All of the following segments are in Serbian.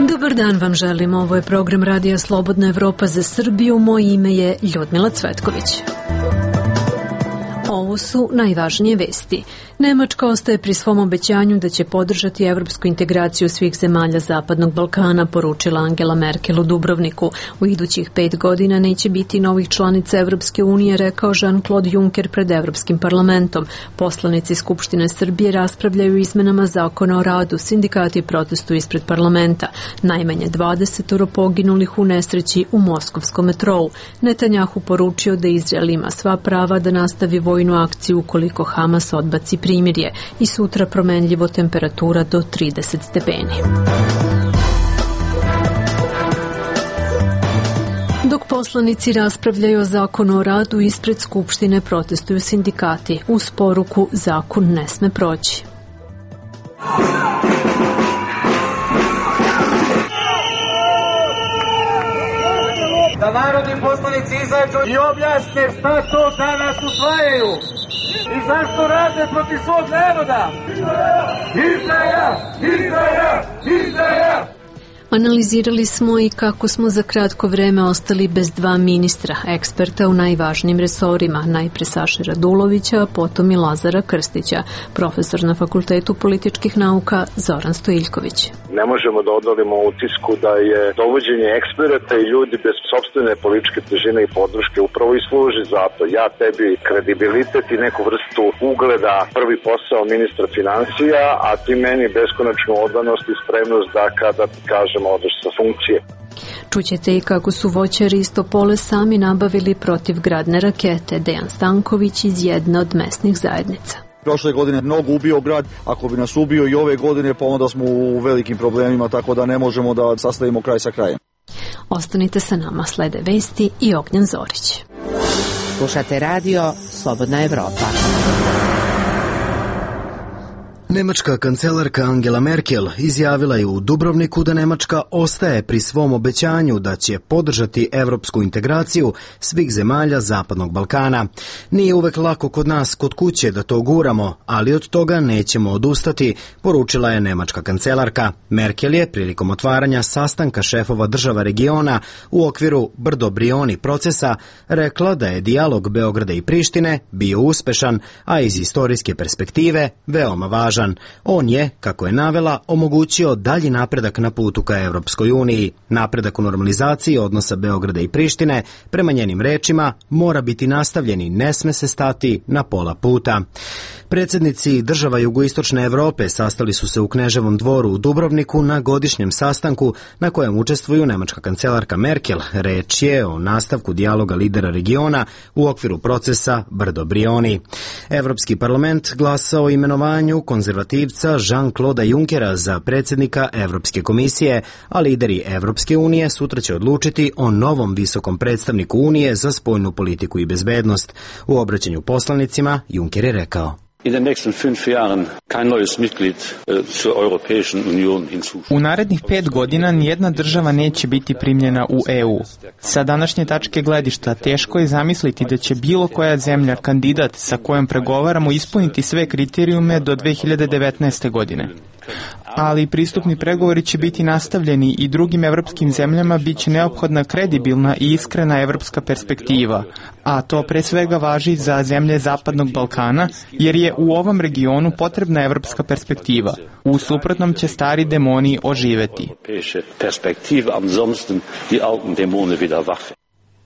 Dobar dan vam želim, ovo je program Radija Slobodna Evropa za Srbiju, moje ime je Ljudmila Cvetković. Ovo su najvažnije vesti. Nemačka ostaje pri svom obećanju da će podržati evropsku integraciju svih zemalja Zapadnog Balkana, poručila Angela Merkel u Dubrovniku. U idućih 5 godina neće biti novih članica Evropske unije, rekao Jean-Claude Juncker pred Evropskim parlamentom. Poslanici Skupštine Srbije raspravljaju izmenama zakona o radu, sindikati protestuju ispred parlamenta. Najmanje 20 poginulih u nesreći u moskovskom metrou. Netanjahu poručio da Izrael ima sva prava da nastavi vojnu akciju ukoliko Hamas odbaci primirje i sutra promenljivo temperatura do 30 stepeni. Dok poslanici raspravljaju o zakonu o radu, ispred Skupštine protestuju sindikati. Uz poruku zakon ne sme proći. Da narodni poslanici izađu i objasne šta to danas usvajaju i zašto rade protiv svog naroda. Izdaja! Izdaja! Izdaja! Analizirali smo i kako smo za kratko vreme ostali bez 2 ministra, eksperta u najvažnijim resorima, najpre Saše Radulovića, a potom i Lazara Krstića, profesor na Fakultetu političkih nauka Zoran Stojiljković. Ne možemo da odolimo utisku da je dovođenje eksperata i ljudi bez sopstvene političke težine i podrške upravo i služi za to. Ja tebi kredibilitet i neku vrstu ugleda, prvi posao ministra financija, a ti meni beskonačnu odanost i spremnost da kada ti kažem odeš sa funkcije. Čućete i kako su voćari iz Topole sami nabavili protivgradne rakete. Dejan Stanković iz jedne od mesnih zajednica. Prošle godine mnogo ubio grad, ako bi nas ubio i ove godine, pa onda smo u velikim problemima, tako da ne možemo da sastavimo kraj sa krajem. Ostanite sa nama, slede vesti i Ognjen Zorić. Slušate radio Slobodna Evropa. Nemačka kancelarka Angela Merkel izjavila je u Dubrovniku da Nemačka ostaje pri svom obećanju da će podržati evropsku integraciju svih zemalja Zapadnog Balkana. Nije uvek lako kod nas kod kuće da to guramo, ali od toga nećemo odustati, poručila je nemačka kancelarka. Merkel je prilikom otvaranja sastanka šefova država regiona u okviru Brdo-Brioni procesa rekla da je dijalog Beograda i Prištine bio uspešan, a iz istorijske perspektive veoma važan. On je, kako je navela, omogućio dalji napredak na putu ka Evropskoj uniji. Napredak u normalizaciji odnosa Beograda i Prištine, prema njenim rečima, mora biti nastavljen i ne sme se stati na pola puta. Predsjednici država jugoistočne Evrope sastali su se u Kneževom dvoru u Dubrovniku na godišnjem sastanku na kojem učestvuju nemačka kancelarka Merkel. Reč je o nastavku dijaloga lidera regiona u okviru procesa Brdo-Brioni. Evropski parlament glasao o imenovanju konzervativca Jean-Claude Junckera za predsjednika Evropske komisije, a lideri Evropske unije sutra će odlučiti o novom visokom predstavniku Unije za spoljnu politiku i bezbednost. U obraćanju poslanicima Juncker je rekao: U narednih 5 godina nijedna država neće biti primljena u EU. Sa današnje tačke gledišta teško je zamisliti da će bilo koja zemlja kandidat sa kojom pregovaramo ispuniti sve kriterijume do 2019. godine. Ali pristupni pregovori će biti nastavljeni i drugim evropskim zemljama bit će neophodna kredibilna i iskrena evropska perspektiva, a to pre svega važi za zemlje Zapadnog Balkana, jer je u ovom regionu potrebna evropska perspektiva. U suprotnom će stari demoni oživeti.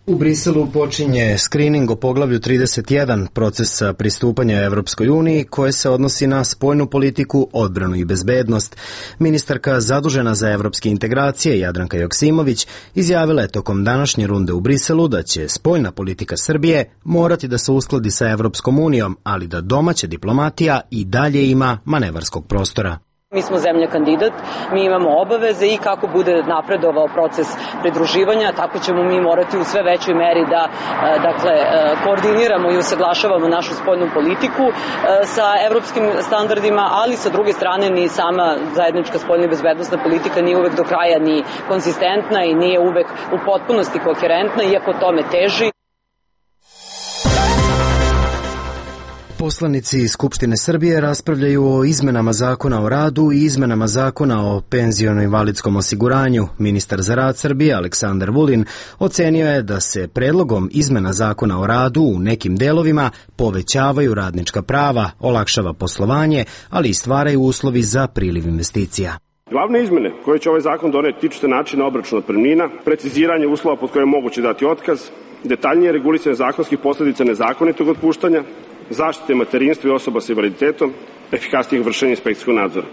U Briselu počinje skrining o poglavlju 31 procesa pristupanja Evropskoj uniji koje se odnosi na spoljnu politiku, odbranu i bezbednost. Ministarka zadužena za evropske integracije Jadranka Joksimović izjavila je tokom današnje runde u Briselu da će spoljna politika Srbije morati da se uskladi sa Evropskom unijom, ali da domaća diplomatija i dalje ima manevarskog prostora. Mi smo zemlja kandidat, mi imamo obaveze i kako bude napredovao proces pridruživanja, tako ćemo mi morati u sve većoj meri da koordiniramo i usaglašavamo našu spoljnu politiku sa evropskim standardima, ali sa druge strane ni sama zajednička spoljna i bezbednosna politika nije uvek do kraja ni konzistentna i nije uvek u potpunosti koherentna, iako tome teži. Poslanici iz Skupštine Srbije raspravljaju o izmenama zakona o radu i izmenama zakona o penziono-invalidskom osiguranju. Ministar za rad Srbije Aleksandar Vulin ocenio je da se predlogom izmena zakona o radu u nekim delovima povećavaju radnička prava, olakšava poslovanje, ali i stvaraju uslovi za priliv investicija. Glavne izmene koje će ovaj zakon doneti tiču se načina obračuna otpremnina, preciziranje uslova pod kojim je moguće dati otkaz, detaljnije regulisanje zakonskih posledica nezakonitog otpuštanja, zaštite materinstva i osoba sa invaliditetom, efikasnijeg vršenja inspekcijskog nadzora.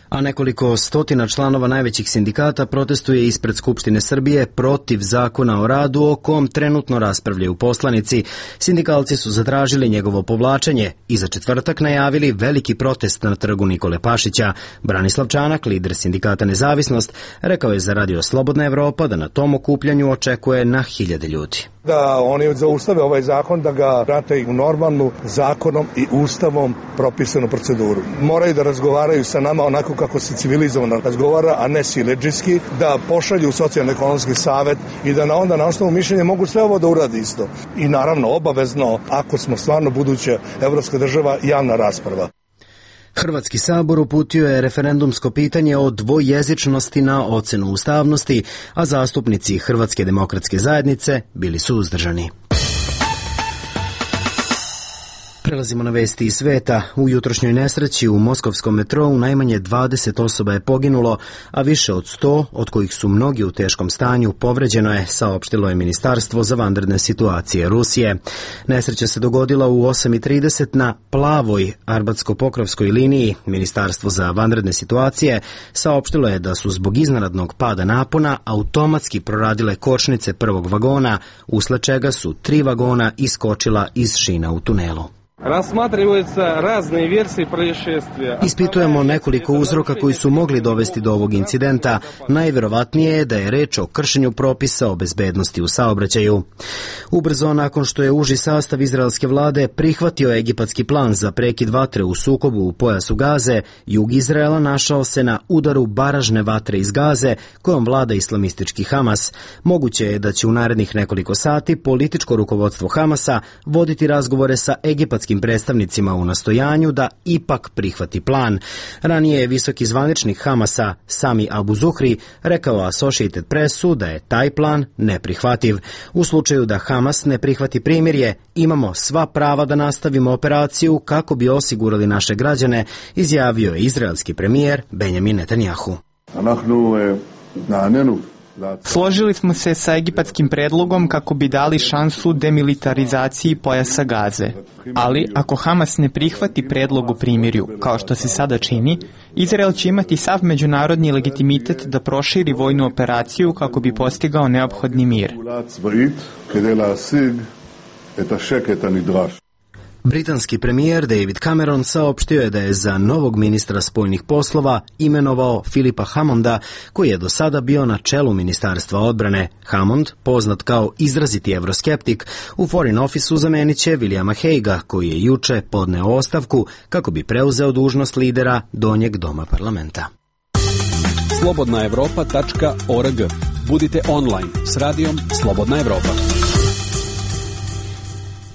A nekoliko stotina članova najvećih sindikata protestuje ispred Skupštine Srbije protiv zakona o radu o kom trenutno raspravljaju poslanici. Sindikalci su zatražili njegovo povlačenje i za četvrtak najavili veliki protest na trgu Nikole Pašića. Branislav Čanak, lider sindikata Nezavisnost, rekao je za Radio Slobodna Evropa da na tom okupljanju očekuje na 1000 ljudi. Da oni zaustave ovaj zakon, da ga vrate u normalnu zakonom i ustavom propisanu proceduru. Moraju da razgovaraju sa nama onako kako se civilizovano razgovara, a ne siledžijski, da pošalju socijalno-ekonomski savet i da onda na osnovu mišljenja mogu sve ovo da uradi isto. I naravno obavezno, ako smo stvarno buduća evropska država, javna rasprava. Hrvatski sabor uputio je referendumsko pitanje o dvojezičnosti na ocenu ustavnosti, a zastupnici Hrvatske demokratske zajednice bili su uzdržani. Prelazimo na vesti iz sveta. U jutrošnjoj nesreći u moskovskom metrou najmanje 20 osoba je poginulo, a više od 100, od kojih su mnogi u teškom stanju, povređeno je, saopštilo je Ministarstvo za vanredne situacije Rusije. Nesreća se dogodila u 8:30 na plavoj Arbatsko-Pokrovskoj liniji. Ministarstvo za vanredne situacije saopštilo je da su zbog iznenadnog pada napona automatski proradile kočnice prvog vagona, usled čega su 3 vagona iskočila iz šina u tunelu. Ispitujemo nekoliko uzroka koji su mogli dovesti do ovog incidenta. Najverovatnije je da je reč o kršenju propisa o bezbednosti u saobraćaju. Ubrzo nakon što je uži sastav izraelske vlade prihvatio egipatski plan za prekid vatre u sukobu u pojasu Gaze, jug Izraela našao se na udaru baražne vatre iz Gaze kojom vlada islamistički Hamas. Moguće je da će u narednih nekoliko sati političko rukovodstvo Hamasa voditi razgovore sa egipatskim predstavnicima u nastojanju da ipak prihvati plan. Ranije je visoki zvaničnik Hamasa Sami Abu Zuhri rekao Associated Pressu da je taj plan neprihvativ. U slučaju da Hamas ne prihvati primirje, imamo sva prava da nastavimo operaciju kako bi osigurali naše građane, izjavio je izraelski premijer Benjamin Netanjahu. Složili smo se sa egipatskim predlogom kako bi dali šansu demilitarizaciji pojasa Gaze. Ali ako Hamas ne prihvati predlog u primirju, kao što se sada čini, Izrael će imati sav međunarodni legitimitet da proširi vojnu operaciju kako bi postigao neophodni mir. Britanski premijer David Cameron saopštio je da je za novog ministra spoljnih poslova imenovao Philipa Hammonda, koji je do sada bio na čelu Ministarstva odbrane. Hammond, poznat kao izraziti evroskeptik, u Foreign Officeu zamenit će Williama Haguea, koji je juče podneo ostavku kako bi preuzeo dužnost lidera Donjeg doma parlamenta. slobodnaevropa.org. Budite online s radijom Slobodna Evropa.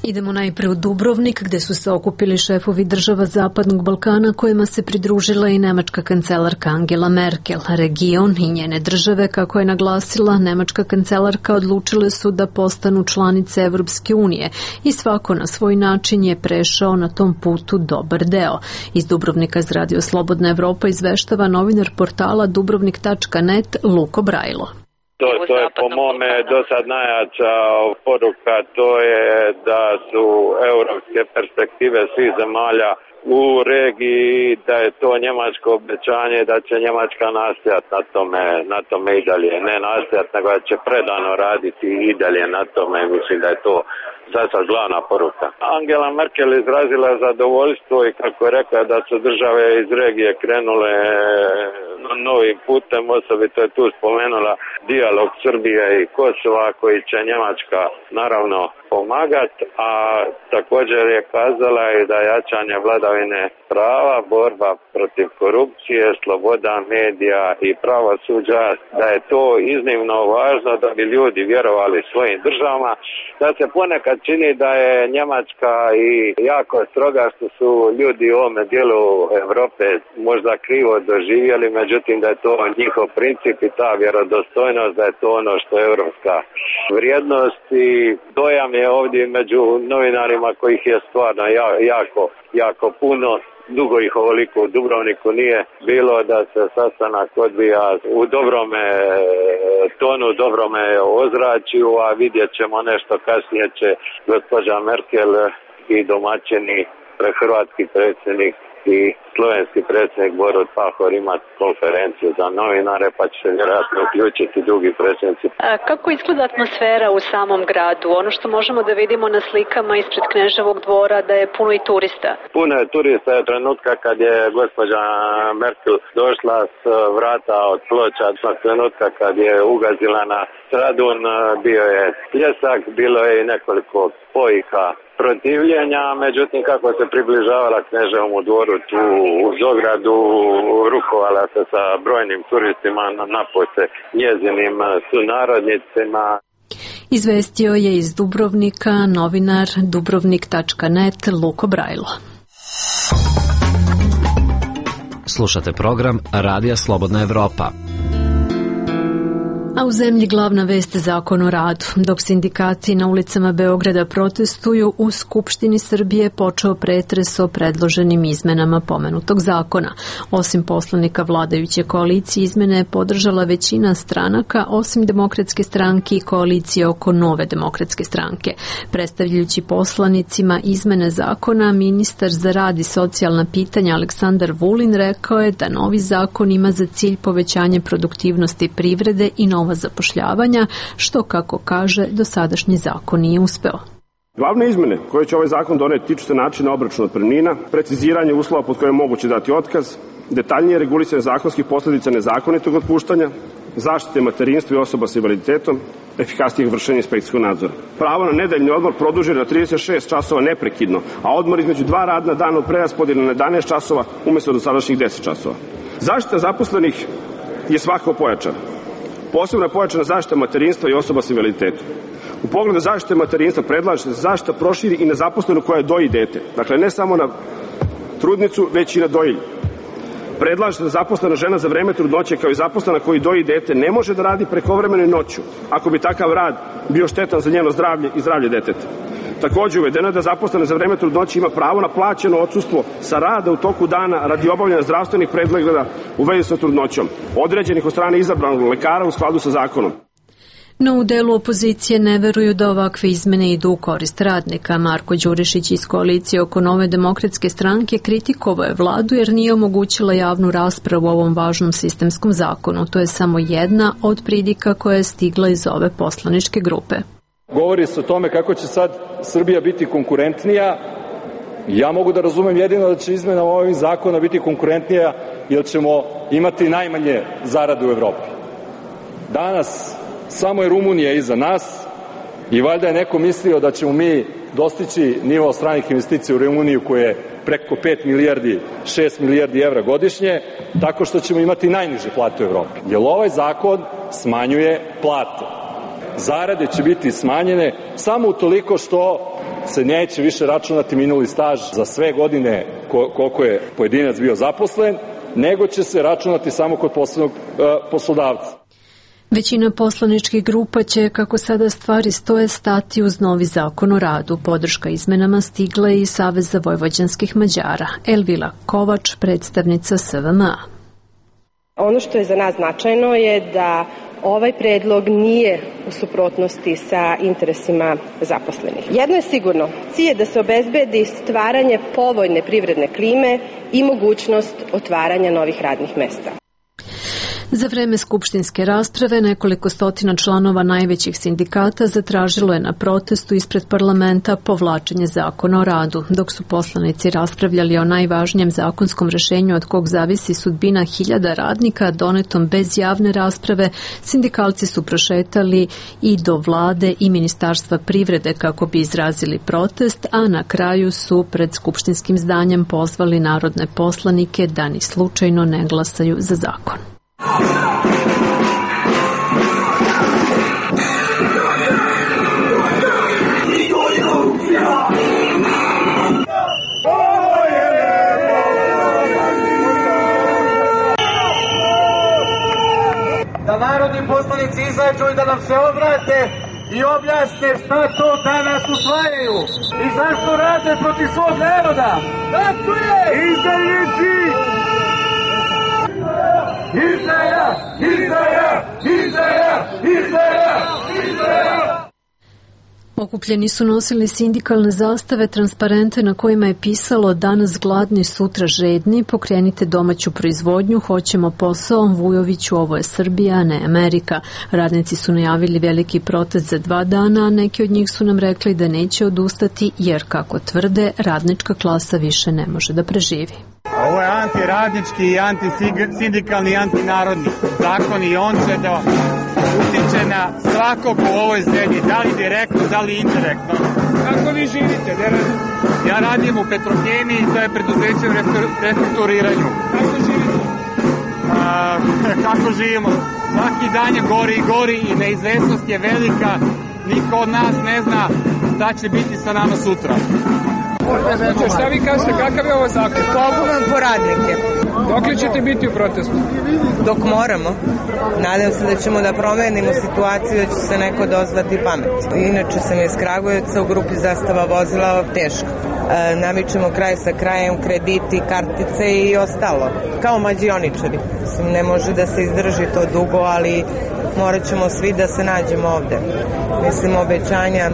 Idemo najpre u Dubrovnik, gde su se okupili šefovi država Zapadnog Balkana, kojima se pridružila i nemačka kancelarka Angela Merkel. Region i njene države, kako je naglasila nemačka kancelarka, odlučile su da postanu članice Evropske unije i svako na svoj način je prešao na tom putu dobar deo. Iz Dubrovnika iz Radio Slobodna Evropa izveštava novinar portala dubrovnik.net Luko Brajlo. To je po mome do sad najjača poruka, to je da su europske perspektive svih zemalja u regiji, da je to njemačko obećanje, da će Njemačka nastojati na tome i dalje. Ne nastojati, nego da će predano raditi i dalje na tome. Mislim da je to za sad glavna poruka. Angela Merkel izrazila zadovoljstvo i kako je rekla da su države iz regije krenule novim putem, osobito je tu spomenula dijalog Srbije i Kosova koji će Njemačka naravno pomagati, a također je kazala i da jačanje vladavine prava, borba protiv korupcije, sloboda medija i pravosuđa, da je to iznimno važno da bi ljudi vjerovali svojim državama, da se ponekad čini da je Njemačka i jako stroga što su ljudi u ovome dijelu Europe možda krivo doživjeli, međutim da je to njihov princip i ta vjerodostojnost, da je to ono što je europska vrijednost i dojam je ovdje među novinarima kojih je stvarno jako puno. Dugo ih ovoliko u Dubrovniku nije bilo da se sastanak odvija u dobrome tonu, dobrome ozračju, a vidjet ćemo nešto kasnije će gospođa Merkel i domaćini, hrvatski predsjednik i slovenski predsjednik Borut Pahor imati konferenciju za novinare, pa će se vjerojatno uključiti drugi predsjednici. Kako izgleda atmosfera u samom gradu? Ono što možemo da vidimo na slikama ispred Kneževog dvora da je puno i turista. Puno je turista od trenutka kad je gospođa Merkel došla s vrata od Ploča, od trenutka kad je ugazila na Stradun, bio je pljesak, bilo je i nekoliko pojika protivljenja, međutim kako se približavala Kneževom dvoru tu u Zogradu, rukovala se sa brojnim turistima, napose njezinim sunarodnicima. Izvestio je iz Dubrovnika novinar dubrovnik.net Luko Brajlo. Slušate program Radija Slobodna Evropa. A u zemlji glavna vest Zakon o radu. Dok sindikati na ulicama Beograda protestuju, u Skupštini Srbije počeo pretres o predloženim izmenama pomenutog zakona. Osim poslanika vladajuće koalicije, izmene je podržala većina stranaka, osim Demokratske stranke i koalicije oko Nove demokratske stranke. Predstavljajući poslanicima izmene zakona, ministar za rad i socijalna pitanja Aleksandar Vulin rekao je da novi zakon ima za cilj povećanje produktivnosti privrede i nova zapošljavanja, što, kako kaže, dosadašnji zakon nije uspeo. Glavne izmene koje će ovaj zakon doneti tiču se načina obračuna otpremnina, preciziranje uslova pod kojim je moguće dati otkaz, detaljnije regulisanje zakonskih posljedica nezakonitog otpuštanja, zaštite materinstva i osoba sa invaliditetom, efikasnijeg vršenja inspekcijskog nadzora. Pravo na nedeljni odmor produženo na 36 časova neprekidno, a odmor između 2 radna dana od preraspodjele na 11 časova umjesto dosadašnjih 10 časova. Zaštita zaposlenih je svakako pojačana. Posebno je pojačana zaštita materinstva i osoba sa invaliditetom. U pogledu zaštite materinstva predlaže se da zaštita proširi i na zaposlenu koja doji dete. Dakle, ne samo na trudnicu, već i na dojilju. Predlaže se da zaposlena žena za vreme trudnoće kao i zaposlena koji doji dete ne može da radi prekovremeno i noću, ako bi takav rad bio štetan za njeno zdravlje i zdravlje deteta. Također uvedeno je da zaposlena za vreme trudnoće ima pravo na plaćeno odsustvo sa rada u toku dana radi obavljanja zdravstvenih pregleda u vezi sa trudnoćom, određenih od strane izabranog lekara u skladu sa zakonom. No u delu opozicije ne veruju da ovakve izmene idu u korist radnika. Marko Đurišić iz koalicije oko Nove demokratske stranke kritikovao je vladu jer nije omogućila javnu raspravu o ovom važnom sistemskom zakonu. To je samo jedna od pridika koja je stigla iz ove poslaničke grupe. Govori se o tome kako će sad Srbija biti konkurentnija. Ja mogu da razumem jedino da će izmena ovih zakona biti konkurentnija jer ćemo imati najmanje zarade u Evropi. Danas samo je Rumunija iza nas i valjda je neko mislio da ćemo mi dostići nivo stranih investicija u Rumuniju koje je preko 6 milijardi evra godišnje, tako što ćemo imati najniže plate u Evropi. Jer ovaj zakon smanjuje plate. Zarade će biti smanjene samo utoliko što se neće više računati minuli staž za sve godine koliko je pojedinac bio zaposlen, nego će se računati samo kod poslovnog poslodavca. Većina poslaničkih grupa će, kako sada stvari stoje, stati uz novi zakon o radu. Podrška izmenama stigla je iz Saveza vojvođanskih Mađara. Elvila Kovač, predstavnica SVM-a. Ono što je za nas značajno je da ovaj predlog nije u suprotnosti sa interesima zaposlenih. Jedno je sigurno, cilj je da se obezbedi stvaranje povoljne privredne klime i mogućnost otvaranja novih radnih mesta. Za vreme skupštinske rasprave nekoliko stotina članova najvećih sindikata zatražilo je na protestu ispred parlamenta povlačenje zakona o radu. Dok su poslanici raspravljali o najvažnijem zakonskom rešenju od kog zavisi sudbina hiljada radnika donetom bez javne rasprave, sindikalci su prošetali i do vlade i Ministarstva privrede kako bi izrazili protest, a na kraju su pred skupštinskim zdanjem pozvali narodne poslanike da ni slučajno ne glasaju za zakon. Da narodni poslanici izađu i da nam se obrate i objasne šta to danas usvajaju i zašto rade protiv svog naroda. Tako je! Izdajnici! Izdaja! Izdaja! Izdaja! Izdaja! Izdaja! Okupljeni su nosili sindikalne zastave, transparente na kojima je pisalo danas gladni, sutra žedni, pokrenite domaću proizvodnju, hoćemo posao, Vujoviću, ovo je Srbija, a ne Amerika. Radnici su najavili veliki protest za 2 dana, a neki od njih su nam rekli da neće odustati jer, kako tvrde, radnička klasa više ne može da preživi. Ovo je antiradnički i antisindikalni i antinarodni zakon i on će da utiče na svakog u ovoj zemlji, da li direktno, da li indirektno. Kako vi živite? Ja radim u Petrohemiji, to je preduzeće u restrukturiranju. Kako živite? Kako živimo? Svaki dan je gori i gori i neizvesnost je velika. Niko od nas ne zna šta će biti sa nama sutra. Šta vi kažete, kakav je ovo zakon? Poguban po radnike. Dok li ćete biti u protestu? Dok moramo. Nadam se da ćemo da promenimo situaciju, da će se neko dozvati pamet. Inače sam iz Kragujevca, u grupi Zastava vozila, teško. Namičemo kraj sa krajem, krediti, kartice i ostalo. Kao mađioničari. Ne može da se izdrži to dugo, ali morat ćemo svi da se nađemo ovde. Mislim, obećanja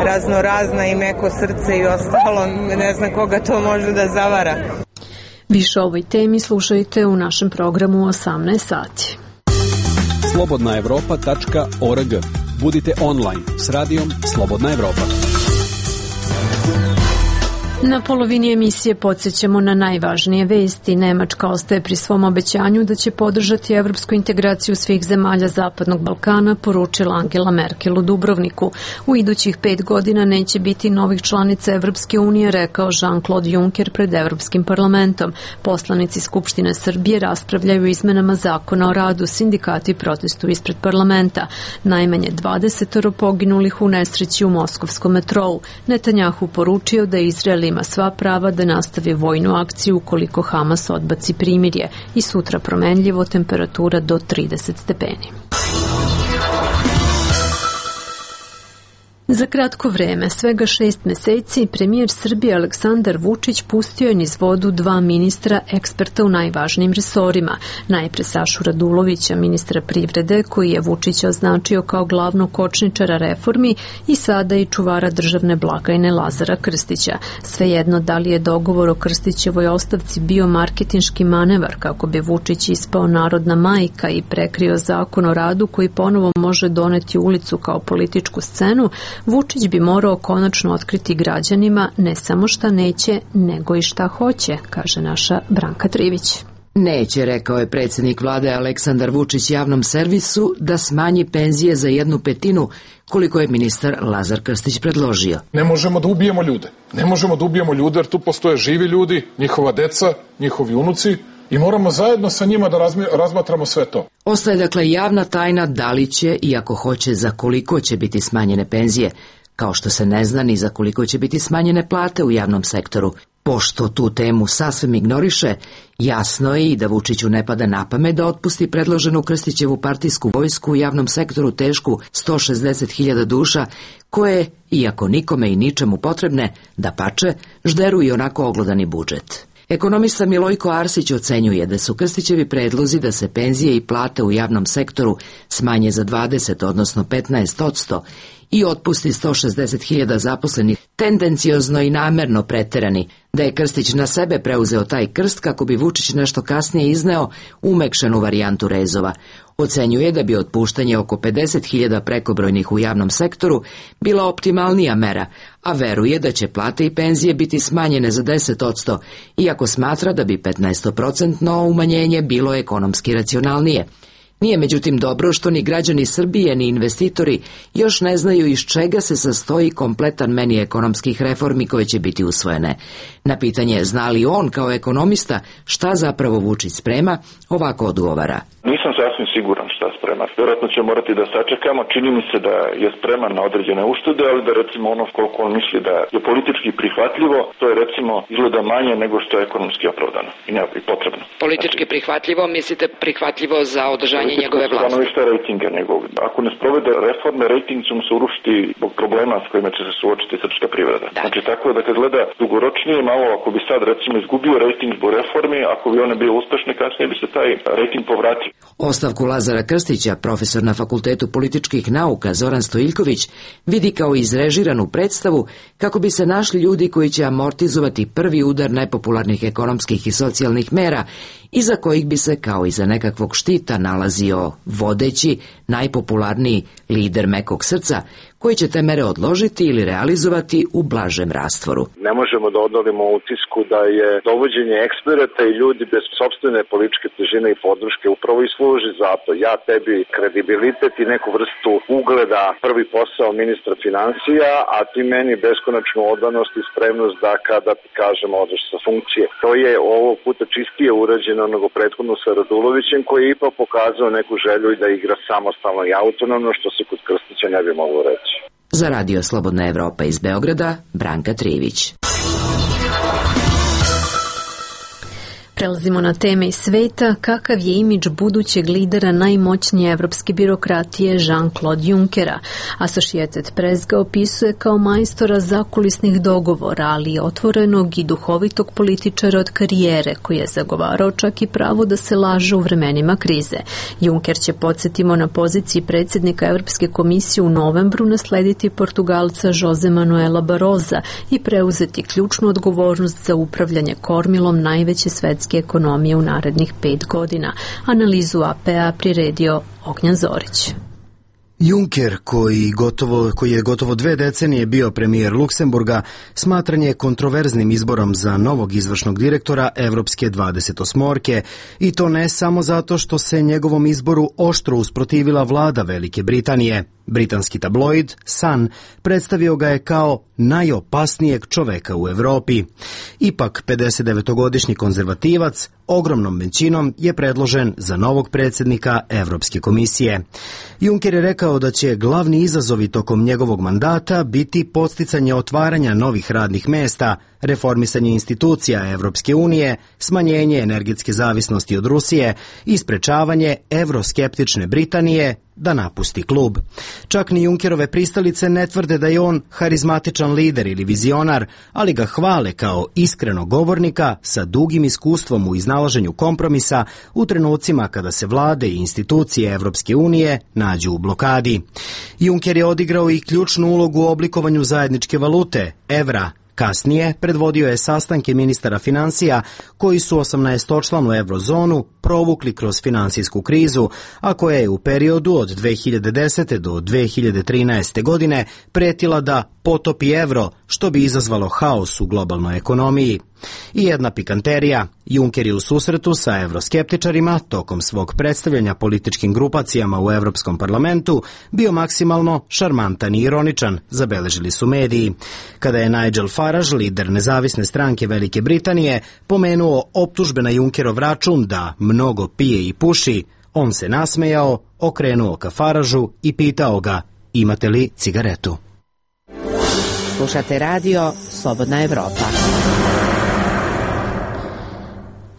raznorazna i meko srce i ostalo, ne znam koga to može da zavara. Više o ovoj temi slušajte u našem programu u 18 sati. slobodnaevropa.org. Budite online s radijom Slobodna Evropa. Na polovini emisije podsjećamo na najvažnije vesti. Nemačka ostaje pri svom obećanju da će podržati evropsku integraciju svih zemalja Zapadnog Balkana, poručila Angela Merkel u Dubrovniku. U idućih 5 godina neće biti novih članica Evropske unije, rekao Jean-Claude Juncker pred Evropskim parlamentom. Poslanici Skupštine Srbije raspravljaju o izmenama zakona o radu, sindikati protestuju ispred parlamenta. Najmanje 20 poginulih u nesreći u moskovskom metrou. Netanjahu poručio da Izrael ima sva prava da nastavi vojnu akciju ukoliko Hamas odbaci primirje i sutra promenljivo, temperatura do 30 stepeni. Za kratko vreme, svega 6 meseci, premijer Srbije Aleksandar Vučić pustio je niz vodu 2 ministra eksperta u najvažnijim resorima. Najpre Sašu Radulovića, ministra privrede, koji je Vučića označio kao glavnog kočničara reformi, i sada i čuvara državne blagajne Lazara Krstića. Svejedno da li je dogovor o Krstićevoj ostavci bio marketinški manevar kako bi Vučić ispao narodna majka i prekrio zakon o radu koji ponovo može doneti ulicu kao političku scenu, Vučić bi morao konačno otkriti građanima ne samo šta neće, nego i šta hoće, kaže naša Branka Trivić. Neće, rekao je predsjednik vlade Aleksandar Vučić javnom servisu, da smanji penzije za 1/5 koliko je ministar Lazar Krstić predložio. Ne možemo da ubijemo ljude. Ne možemo da ubijemo ljude jer tu postoje živi ljudi, njihova deca, njihovi unuci i moramo zajedno sa njima da razmatramo sve to. Ostaje dakle javna tajna da li će i ako hoće za koliko će biti smanjene penzije, kao što se ne zna ni za koliko će biti smanjene plate u javnom sektoru. Pošto tu temu sasvim ignoriše, jasno je i da Vučiću ne pada na pamet da otpusti predloženu Krstićevu partijsku vojsku u javnom sektoru tešku 160.000 duša, koje, iako nikome i ničemu potrebne, dapače, žderu i onako oglodani budžet. Ekonomista Milojko Arsić ocenjuje da su Krstićevi predlozi da se penzije i plate u javnom sektoru smanje za 20, odnosno 15%, i otpusti 160.000 zaposlenih, tendenciozno i namerno preterani, da je Krstić na sebe preuzeo taj krst kako bi Vučić nešto kasnije izneo umekšanu varijantu rezova. Ocenjuje da bi otpuštanje oko 50.000 prekobrojnih u javnom sektoru bila optimalnija mera, a veruje da će plate i penzije biti smanjene za 10%, iako smatra da bi 15% umanjenje bilo ekonomski racionalnije. Nije međutim dobro što ni građani Srbije ni investitori još ne znaju iz čega se sastoji kompletan meni ekonomskih reformi koje će biti usvojene. Na pitanje zna li on kao ekonomista šta zapravo Vučić sprema, ovako odgovara. Nisam sasvim siguran šta sprema. Vjerojatno će morati da sačekamo. Čini mi se da je spreman na određene uštede, ali da recimo ono koliko on misli da je politički prihvatljivo, to je recimo izgleda manje nego što je ekonomski opravdano i potrebno. Politički prihvatljivo, mislite prihvatljivo za održanje njegove vlasti? Stanovište rejtinga njegov. Ako ne sprovede reforme, rejting će mu se urušiti zbog problema s kojima će se suočiti srpska privreda. Da. Znači tako je da kad gleda dugoročnije malo, ako bi sad recimo izgubio rejting zbog reformi, ako bi one bile uspešne, kasnije bi se taj rejting povratio. Ostavku Lazara Krstića, profesor na Fakultetu političkih nauka Zoran Stojiljković, vidi kao izrežiranu predstavu kako bi se našli ljudi koji će amortizovati prvi udar nepopularnih ekonomskih i socijalnih mera, iza kojih bi se kao iza nekakvog štita nalazio vodeći, najpopularniji lider mekog srca, koji će te mere odložiti ili realizovati u blažem rastvoru. Ne možemo da odolimo utisku da je dovođenje eksperata i ljudi bez sopstvene političke težine i podrške upravo i služi za to. Ja tebi kredibilitet i neku vrstu ugleda, prvi posao ministra financija, a ti meni beskonačnu odanost i spremnost da kada ti kažemo odeš sa funkcije. To je ovog puta čistije urađeno nego prethodno sa Radulovićem, koji je ipak pokazao neku želju i da igra samostalno i autonomno, što se kod Krstića ne bi moglo reći. Za Radio Slobodna Evropa iz Beograda, Branka Trivić. Prelazimo na teme iz sveta. Kakav je imidž budućeg lidera najmoćnije evropske birokratije Jean-Claude Junckera? Associated Press ga opisuje kao majstora zakulisnih dogovora, ali otvorenog i duhovitog političara od karijere, koji je zagovarao čak i pravo da se laže u vremenima krize. Juncker će, podsjetimo, na poziciji predsjednika Evropske komisije u novembru naslediti Portugalca Jose Manuela Barroza i preuzeti ključnu odgovornost za upravljanje kormilom najveće svetske ekonomije u narednih 5 godina. Analizu AP-a priredio Ognjan Zorić. Juncker, koji je gotovo 2 decenije bio premijer Luksemburga, smatran je kontroverznim izborom za novog izvršnog direktora Evropske 28-orke, i to ne samo zato što se njegovom izboru oštro usprotivila vlada Velike Britanije. Britanski tabloid Sun predstavio ga je kao najopasnijeg čoveka u Evropi. Ipak 59-godišnji konzervativac ogromnom većinom je predložen za novog predsjednika Evropske komisije. Juncker je rekao da će glavni izazovi tokom njegovog mandata biti podsticanje otvaranja novih radnih mesta, reformisanje institucija Evropske unije, smanjenje energetske zavisnosti od Rusije i sprečavanje evroskeptične Britanije da napusti klub. Čak ni Junckerove pristalice ne tvrde da je on harizmatičan lider ili vizionar, ali ga hvale kao iskrenog govornika sa dugim iskustvom u iznalaženju kompromisa u trenucima kada se vlade i institucije Evropske unije nađu u blokadi. Juncker je odigrao i ključnu ulogu u oblikovanju zajedničke valute, evra. Kasnije predvodio je sastanke ministara financija koji su 18-članu eurozonu provukli kroz finansijsku krizu, a koja je u periodu od 2010. do 2013. godine pretila da potopi evro, što bi izazvalo haos u globalnoj ekonomiji. I jedna pikanterija, Juncker je u susretu sa evroskeptičarima tokom svog predstavljanja političkim grupacijama u Evropskom parlamentu bio maksimalno šarmantan i ironičan, zabeležili su mediji. Kada je Nigel Farage, lider nezavisne stranke Velike Britanije, pomenuo optužbe na Junckerov račun da mnogo pije i puši, on se nasmejao, okrenuo ka Farageu i pitao ga: imate li cigaretu? Slušate radio Slobodna Evropa.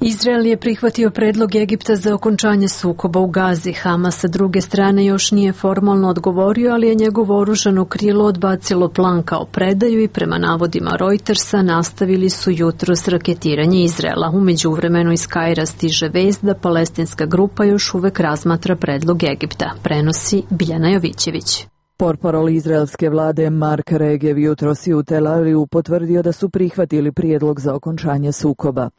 Izrael je prihvatio predlog Egipta za okončanje sukoba u Gazi. Hamas sa druge strane još nije formalno odgovorio, ali je njegovo oružano krilo odbacilo plan kao predaju i prema navodima Reutersa nastavili su jutros raketiranje Izraela. U međuvremenu iz Kaira stiže vest da palestinska grupa još uvek razmatra predlog Egipta. Prenosi Biljana Jovićević. Portparol izraelske vlade Mark Regev jutros je u Tel Avivu potvrdio da su prihvatili prijedlog za okončanje sukoba.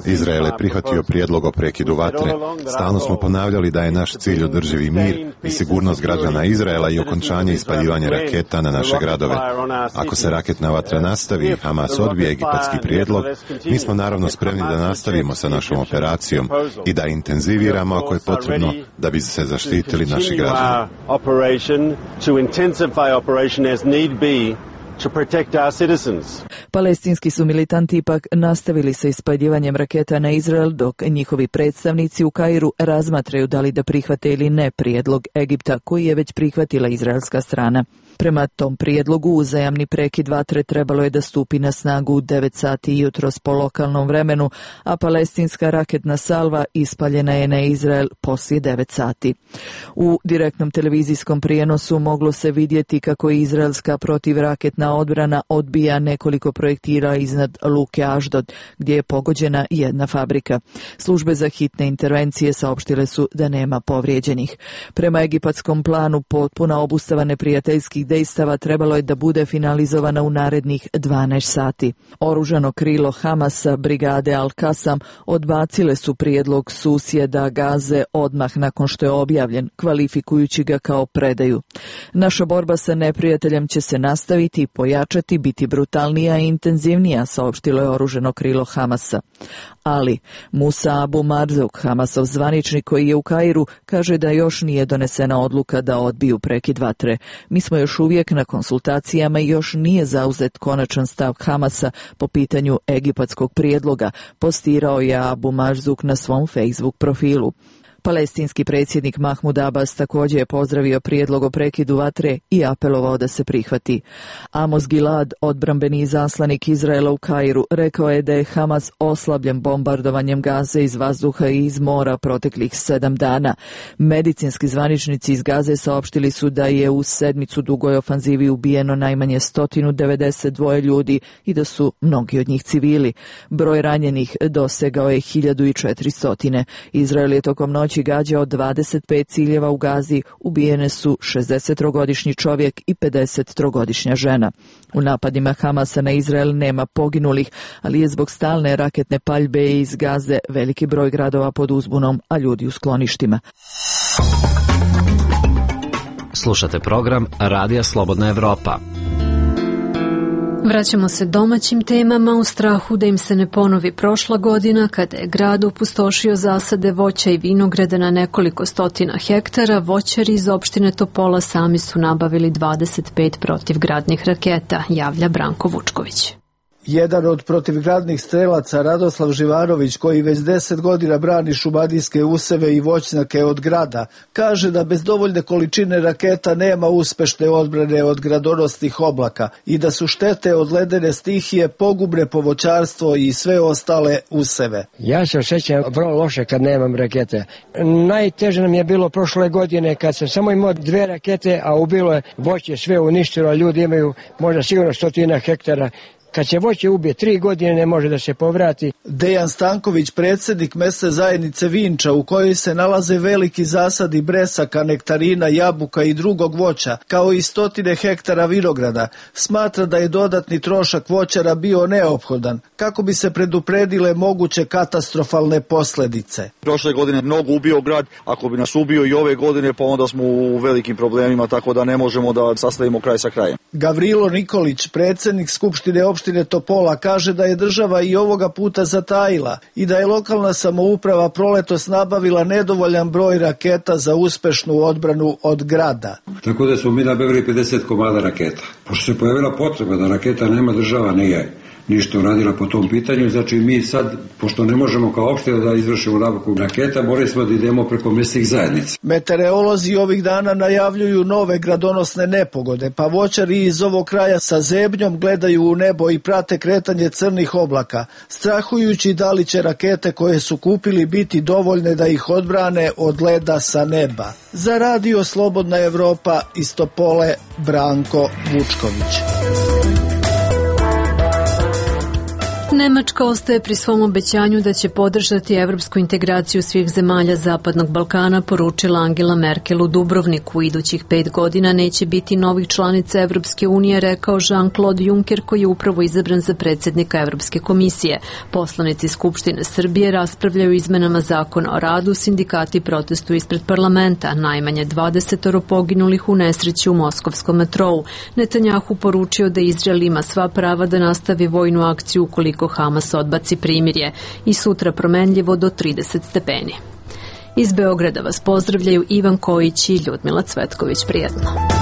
Izrael je prihvatio prijedlog o prekidu vatre. Stalno smo ponavljali da je naš cilj održivi mir i sigurnost građana Izraela i okončanje ispaljivanja raketa na naše gradove. Ako se raketna vatra nastavi i Hamas odbije egipatski prijedlog, mi smo naravno spremni da nastavimo sa našom operacijom i da intenziviramo ako je potrebno da bi se zaštitili naši građani. Palestinski su militanti ipak nastavili sa ispaljivanjem raketa na Izrael, dok njihovi predstavnici u Kairu razmatraju da li da prihvate ili ne prijedlog Egipta, koji je već prihvatila izraelska strana. Prema tom prijedlogu uzajamni prekid vatre trebalo je da stupi na snagu u 9 sati jutros po lokalnom vremenu, a palestinska raketna salva ispaljena je na Izrael poslije 9 sati. U direktnom televizijskom prijenosu moglo se vidjeti kako izraelska protivraketna odbrana odbija nekoliko projektila iznad luke Aždod, gdje je pogođena jedna fabrika. Službe za hitne intervencije saopštile su da nema povrijeđenih. Prema egipatskom planu, potpuna obustava neprijateljskih dejstava trebalo je da bude finalizovana u narednih 12 sati. Oružano krilo Hamasa, brigade Al-Kasam, odbacile su prijedlog susjeda Gaze odmah nakon što je objavljen, kvalifikujući ga kao predaju. Naša borba sa neprijateljem će se nastaviti, pojačati, biti brutalnija i intenzivnija, saopštilo je oružano krilo Hamasa. Ali Musa Abu Marzuk, Hamasov zvaničnik koji je u Kairu, kaže da još nije donesena odluka da odbiju prekid vatre. Mi smo još uvijek na konsultacijama i još nije zauzet konačan stav Hamasa po pitanju egipatskog prijedloga, postirao je Abu Marzuk na svom Facebook profilu. Palestinski predsjednik Mahmud Abbas također je pozdravio prijedlog o prekidu vatre i apelovao da se prihvati. Amos Gilad, odbrambeni izaslanik Izraela u Kairu, rekao je da je Hamas oslabljen bombardovanjem Gaze iz vazduha i iz mora proteklih 7 dana. Medicinski zvaničnici iz Gaze saopštili su da je u sedmicu dugoj ofanzivi ubijeno najmanje 192 ljudi i da su mnogi od njih civili. Broj ranjenih dosegao je 1400. Izrael je tokom noći gađao 25 ciljeva u Gazi, ubijene su 63-godišnji čovjek i 53-godišnja žena. U napadima Hamasa na Izrael nema poginulih, ali je zbog stalne raketne paljbe iz Gaze veliki broj gradova pod uzbunom, a ljudi u skloništima. Slušate program Radija Slobodna Evropa. Vraćamo se domaćim temama u strahu da im se ne ponovi prošla godina kada je grad opustošio zasade voća i vinograda na nekoliko stotina hektara. Voćari iz opštine Topola sami su nabavili 25 protivgradnih raketa, javlja Branko Vučković. Jedan od protivgradnih strelaca, Radoslav Živanović, koji već 10 godina brani šumadijske useve i voćnjake od grada, kaže da bez dovoljne količine raketa nema uspešne odbrane od gradonosnih oblaka i da su štete od ledene stihije pogubne po voćarstvo i sve ostale useve. Ja se osjećam vrlo loše kad nemam rakete. Najteže nam je bilo prošle godine kad sam samo imao 2 rakete, a ubilo je voće, sve uništilo, ljudi imaju možda sigurno 100 hektara. Kad se voće ubije 3 godine ne može da se povrati. Dejan Stanković, predsjednik mesne zajednice Vinča, u kojoj se nalaze veliki zasadi bresaka, nektarina, jabuka i drugog voća, kao i 100 hektara vinograda, smatra da je dodatni trošak voćara bio neophodan kako bi se predupredile moguće katastrofalne posljedice. Prošle godine mnogo ubio grad, ako bi nas ubio i ove godine, pa onda smo u velikim problemima, tako da ne možemo da sastavimo kraj sa krajem. Gavrilo Nikolić, predsjednik Skupštine opštine Topola, kaže da je država i ovoga puta zatajila i da je lokalna samouprava proletos nabavila nedovoljan broj raketa za uspešnu odbranu od grada. Tako da smo mi nabavili 50 komada raketa. Pošto se pojavila potreba da raketa nema, država nije ništa uradila po tom pitanju, znači mi sad, pošto ne možemo kao opština da izvršimo nabavku raketa, morali smo da idemo preko mesnih zajednica. Meteorolozi ovih dana najavljuju nove gradonosne nepogode, pa voćari iz ovog kraja sa zebnjom gledaju u nebo i prate kretanje crnih oblaka, strahujući da li će rakete koje su kupili biti dovoljne da ih odbrane od leda sa neba. Za Radio Slobodna Evropa iz Topole, Branko Vučković. Nemačka ostaje pri svom obećanju da će podržati evropsku integraciju svih zemalja Zapadnog Balkana, poručila Angela Merkel u Dubrovniku. U idućih 5 godina neće biti novih članica Evropske unije, rekao Jean-Claude Juncker, koji je upravo izabran za predsjednika Evropske komisije. Poslanici Skupštine Srbije raspravljaju izmenama zakona o radu, sindikati protestuju ispred parlamenta, najmanje 20 poginulih u nesreći u moskovskom metrou. Netanjahu poručio da Izrael ima sva prava da nastavi vojnu akciju ukoliko Hamas odbaci primirje i sutra promenljivo do 30 stepeni. Iz Beograda vas pozdravljaju Ivan Kojić i Ljudmila Cvetković. Prijetno.